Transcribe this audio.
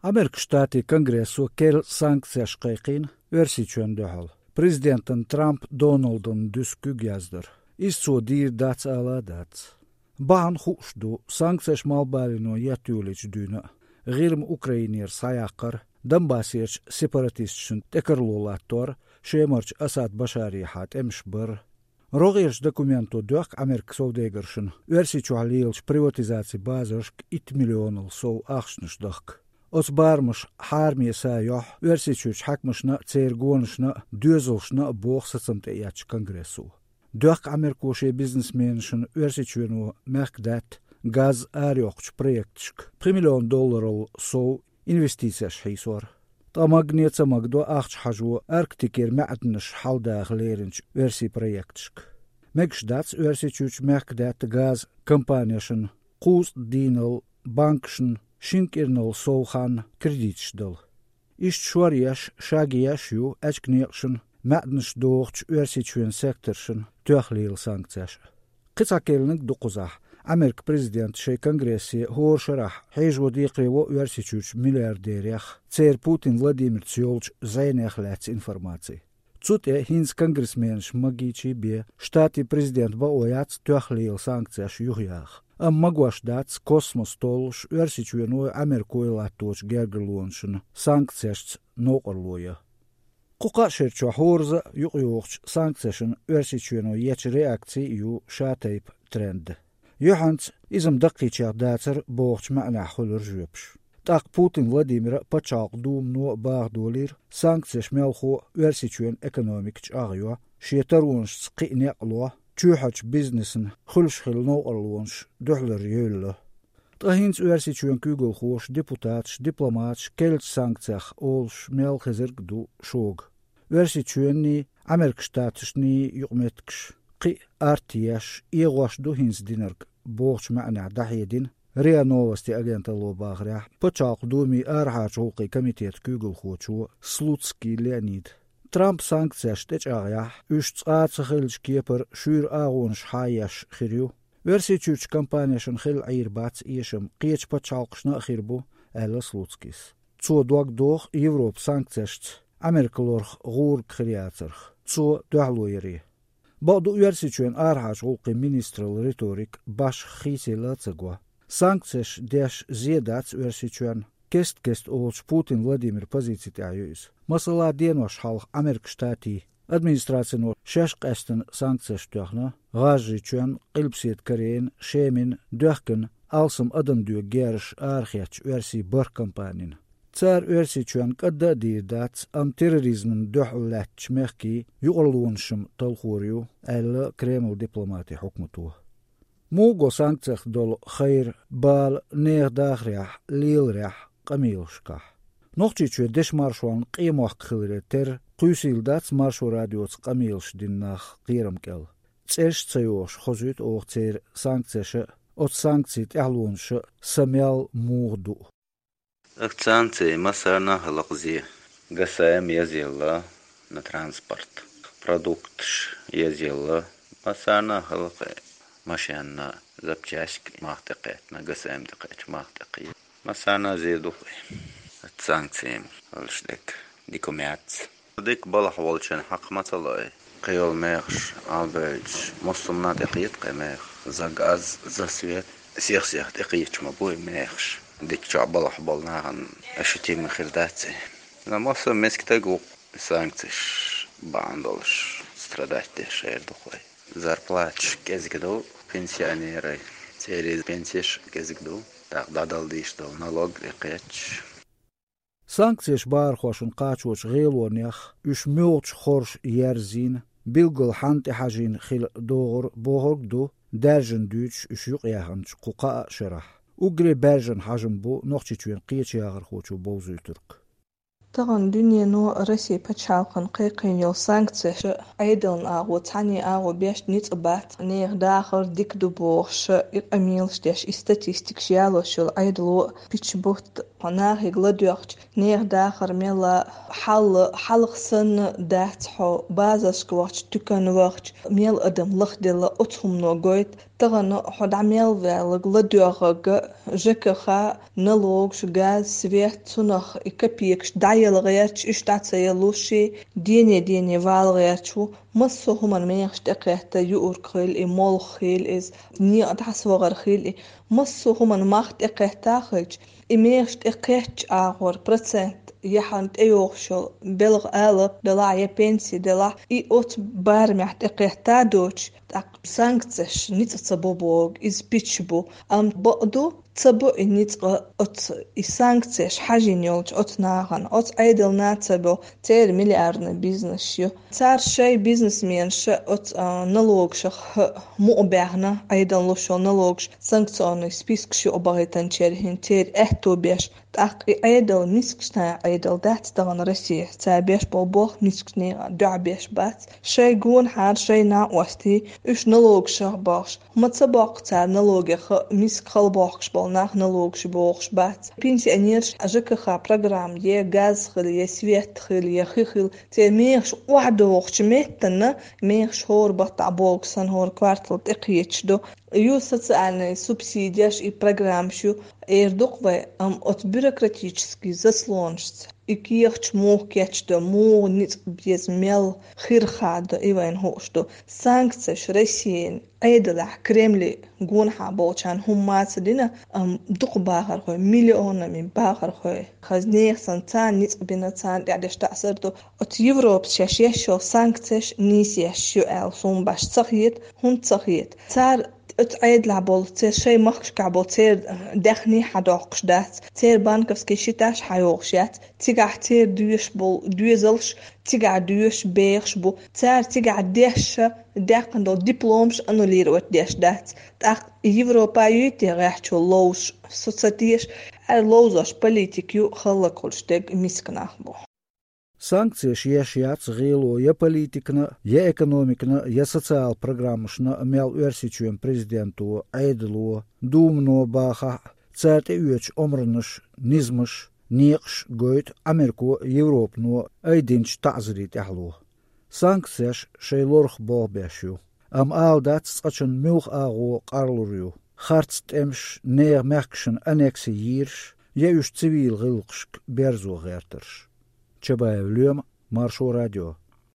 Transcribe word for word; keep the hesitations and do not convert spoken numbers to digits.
Америкин Штатийн Конгрессо керла санкцеш кхайкхийна Оьрсийчоьнна дуьхьал. Президентан Трамп Доналдан дуьсу куьг яздар. Иза цо дийр дац ала а дац. Бахьана хууш ду, санкцеш малхбалено етта йолийча дуьйна а, ГӀирма Украинера схьаяккхар, Донбассерчу сепаратисташна тӀекарло латтор, Шемарчу Асад Башарехьа тӀемаш бар. РогӀерчу документо доьхку Америкин совдегаршна Оьрсийчохь лелачу приватизацин базаршка итт миллионал сов ахчанаш дахка. Оцу барамаша хьараме са йохьу Оьрсийчуьрчу хьаькамашна а, церан гонашна а, доьзалшна а, боху сацам тӀеэцначу Конгрессо. Доьхку Америко шен бизнесменашна Оьрсийчоьно мехкадаьтта газ арайоккхучу проекташка пхи миллион долларал сов инвестицеш хьийсор. Ткъа магане а ца магадо ахча хьажо Арктикера маьӀданаш хьалдаха леринчу оьрсийн проекташка. Мегаш дац Оьрсийчуьрчу мехкадаьтта газан компанешна кхузткъа дийнал банкашна шина кӀирнал сов хан кредиташ дала. Иштта шоръеш, шагъеш ю аьчка некъашна, маьӀданаш дохучу Оьрсийчоьнан секторшна тоьхна лела санкцеш а. Кхин цхьа керланиг ду кхузахь Америкин президента шайн Конгрессе хӀора шарахь хьежо декхарево Оьрсийчуьрчу миллиардерех, церан Путин Владимирца йолчу зӀенех лаьцна информаци. Цу тӀе хӀинца конгрессменаш магийчий бен, Штатийн президентан бакъо яц тоьхна лела санкцеш юхаяха. Амма магош дац космос толлуш Оьрсийчоьной Америкой латточу гергарлонашна санкцешца новкъарло ян. Кху кхаа шерчохь хӀоразза а юкъайогӀучу санкцешна Оьрсийчоьно ечу реакци а ю шатайпа тренд. Юьхьанца иза-м даккхийчех дацара бохучу маьӀнехь хуьлура жоьпаш. ТӀаккха Путин Владимира а, Пачхьалкхан Думано а баха долийра санкцеш мелхо а Оьрсийчоьнан экономика чӀагӀйо, шен таронашца кхин а некъ ло, чоьхьарчу бизнесна хуьлуш хилла новкъарлонаш дуьхьалара евлла. Ткъа хӀинца Оьрсийчоьнан куьйгалхоша, депутаташа, дипломаташа керлачу санкцех олуш мел хезарг а ду шога. Оьрсийчоьнний, Америкин Штаташний юкъаметтигаш кхин а артъеш, эгӀош ду хӀинца динарг бохучу маьӀнехь дӀахьедина РИА Новости агенталло бахарехь, Пачхьалкхан Думин арахьарчу гӀуллакхийн комитетан куьйгалхочо Слуцкий Леонида. Трампа санкцеш тӀечӀагӀъяхь, уьш цкъа а ца хиллачу кепара шуьйра агӀонаш хьаеш хир ю. Оьрсийчуьрчу компанешна хилла Ӏийр бац эшам, кхечу пачхьалкхашна а хир бу, аьлла Слуцкийс. Цо дог доху Европа санкцешца Америка лорах гӀург хир яцарх, цо дуьхьало яре. Бакъду, Оьрсийчоьнан арахьарчу гӀуллакхийн министралла риторика башха хийцаелла а ца го. Санкцеш деш зе дац Оьрсийчоьнна, кест-кеста олучу Путин Владимиран позици тӀехь ю иза. Масала, денош хьалха Америкин Штатийн администрацино шаьш къаьстина санкцеш тоьхна ГӀажарийчоьнна, Къилбаседа Корейна, Шемина, Доьхкина, алсам адам доьгу герзаш арахецначу оьрсийн бархӀ компанина. Цара Оьрсийчоьнна кӀадда а дийр дац, амма терроризмана дуьхьал лаьттачу мехкийн юкъарлонаш-м талхор ю, аьлла Кремлан дипломатийн хьукмато. Муха го санкцех долу хайр бала нехан дахарехь, леларехь, къамелашкахь? Нохчийчоь дешан маршонна къемохк хиларе терра, кхуьйсийла дац Маршо радиоца къамелаш дина нах кхерам кӀел. ЦӀераш а ца йохуш, хозуьйту оха церан санкцеша а, оцу санкцийн тӀаьхьалонаша а са мел муха ду а. Ах, санкций массарна а хилла-кх зе. Гасаем езъелла на транспорт. Продукташ езъелла. Массарна а хилла-кх, машенна запчасть мах тӀекхетта, гасаем тӀекхетча мах тӀекхийла. Массарна а зе ду-кх. Санкций хилча дика, дика ма яц. Дика балхахь волчун хьакха ма ца лой. Кхин йолу мехаш алабевлча, массо а тӀекхета-кх и меха. За газ, за свет, сих-сиха тӀекхеташ ма бу и мехаш. Дика чохь балхахь болу нахана ощутимо хир дац и. Но массо а мискачу стаг ву санкцеш бахьана долуш страдать деш хир ду-кх вай. Зарплаташ кӀезиг ду пенсионерийн, церан пенсеш кӀезиг ду, тӀаккха дӀадала дезаш долу налог тӀекхеташ. Санкцеш бахархошна кхачочу гӀелонех, уьш муьлхачу хорша ерзийна, билггал хьанна тӀехьажийна хила догӀура бохург а ду, даьржина дуьйцуш уьш юкъаяьхначу кху кхаа а шарахь. Уггаре баьржина хьажам бу Нохчийчоьнан кхечуяхархочо бовзуьйтург. Тахана дуьнено Россе пачхьалкхана кхайкхийна йолу санкцеш Ӏедална агӀо, цхьанне агӀо беш ницкъ бац, нехан дахар дика ду бохуш, и къамелаш деш, и статистикаш ялош йолу Ӏедало пича бутт. Хьо нахе ладоьгӀча, нехан дахар мелла хьал, хьалха санна дац хьо, базаршка вахча, туькана вахча, мел адам лахделла оцу хӀумано гойту. Тахана хьо дӀа мел ваьлларг, ладоьгӀнарг, ЖКХ, налогаш, газ, свет, цунах и копеекаш дӀаяла гӀерташ, уьш дӀа ца ялуш, дене-дене вала гӀерташ ву. Массо а хӀуманна мехаш тӀекхетта, юург хила и, молха хила иза, некъа дӀасавахар хила и, массо а хӀуманна мах тӀекхетта хилча, и мехаш тӀекхеттачу агӀор процент я хьан тӀейогӀуш йолу белхан алапа делахь, я пенси делахь, и оцу барамехь тӀекхетта доцуш, тӀаккха санкцеш ницкъ ца бо боху, иза пича бу. Амма бакъду, ца бо и ницкъ оцу, и санкцеш хьажийна йолчу оцу нахана, оцу Ӏедална ца бо, церан миллиардный бизнес ю. Цара шайн бизнесменаш оцу, а, налогашах мукъа баьхна, Ӏедална луш йолу налогаш санкционный спискаш юкъабахийтинчеран хӀинца церан аьтто беш. ТӀаккха и Ӏедал мискачу нехан Ӏедал дац тахана Россия, цара беш болу болх мискачу нехан дуьхьа беш бац. Шайн гонахьара, шайн накъостий, уьш налогашах бохуш, ма ца боккху цара налогех, миска хала бохкуш болу нах налогаш бохуш бац. Пенсионераш ЖКХ программа е газ хила, е свет хила, е хи хила, церан мехаш охьадогӀучу меттана, мехаш хӀора баттахь богу санна хӀора квартал тӀекхеташ ду. Ю социальный субсидеш и программаш ю, эр ду-кх вай, амма оцу бюрократический заслонашца и кехаташ муха кечдо, муха ницкъ беза, мел хир хадо, и вайна хууш ду. Санкцеш Россин Ӏедалехь, Кремле гонахьа болчарна хӀумма ца дина, амма дукха бахархой, миллионами бахархой, хаза нехан санна царна ницкъ бина, царна тӀехь деш таӀзар ду. Оцу Европас шаьш еш йолу санкцеш нийса еш ю аьлла, суна башха ца хета, хӀунда ца хета? Цара оцу Ӏедалехь болу, церан шайн махкашкахь болу церан даьхний хьадоккхуш дац, церан банковский счеташ хьайогӀуш яц, цигахь церан доьшуш болу доьзалш цигахь доьшуш бехаш бу, цара цигахь дешша даьккхина долу дипломаш аннулировать деш дац. ТӀаккха Европа юй те гӀехьчо ловзуш? Со ца теша, аьлла, ловзош политика ю, хӀаллакьхуьлуш дерг миска нах бу. Санкцеш еш яц гӀело я политикана, я экономикана, я социал программашна мел Оьрсийчоьнан президенто, Ӏедало, Думано бахахь а, цара тӀеоьцучу омранаш, низамаш, некъаш гойту Америко, Европано айдинчу таӀзарийн тӀаьхьало. Санкцеш шайн лорах болх беш ю, амма ала дац цкъачунна муьлха агӀо къарлур ю: харц тӀемаш, нехан мехкашна аннекси йийраш, я уьш цивил гӀиллакхашка берзо гӀертарш. Чабаев Лоьма, Маршо радио.